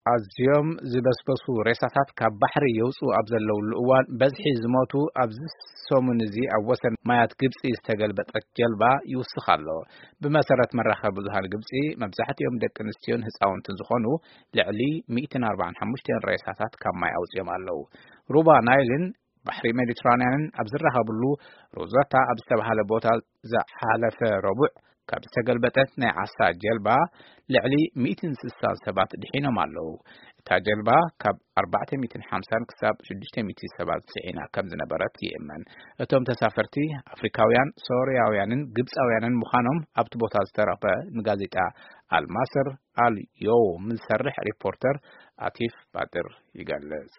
ኣዝዮም ዝበስበሱ ሬሳታት ካብ ባሕሪ የውፅኡ ኣብ ዘለውሉ እዋን፣ በዝሒ ዝሞቱ ኣብዚ ሰሙን እዚ ኣብ ወሰን ማያት ግብፂ ዝተገልበጠት ጀልባ ይውስኽ ኣሎ። ብመሰረት መራኸቢ ብዙሃን ግብፂ፣ መብዛሕትኦም ደቂ ኣንስትዮን ህፃውንትን ዝኾኑ ልዕሊ ሚእትን ኣርባዓን ሓሙሽተን ሬሳታት ካብ ማይ ኣውፅኦም ኣለዉ። ሩባ ናይልን ባሕሪ ሜዲትራንያንን ኣብ ዝራኸብሉ ሮዘታ ኣብ ዝተባህለ ቦታ ዝሓለፈ ረቡዕ ካብ ዝተገልበጠት ናይ ዓሳ ጀልባ ልዕሊ ሚእትን ስሳን ሰባት ድሒኖም ኣለዉ። እታ ጀልባ ካብ ኣርባዕተ ሚእትን ሓምሳን ክሳብ ሽዱሽተ ሚእቲ ሰባት ጽዒና ከም ዝነበረት ይእመን። እቶም ተሳፈርቲ ኣፍሪካውያን፣ ሶርያውያንን ግብጻውያንን ምዃኖም ኣብቲ ቦታ ዝተረኽበ ንጋዜጣ ኣልማስር ኣል ዮውም ዝሰርሕ ሪፖርተር ኣቲፍ ባጥር ይገልጽ።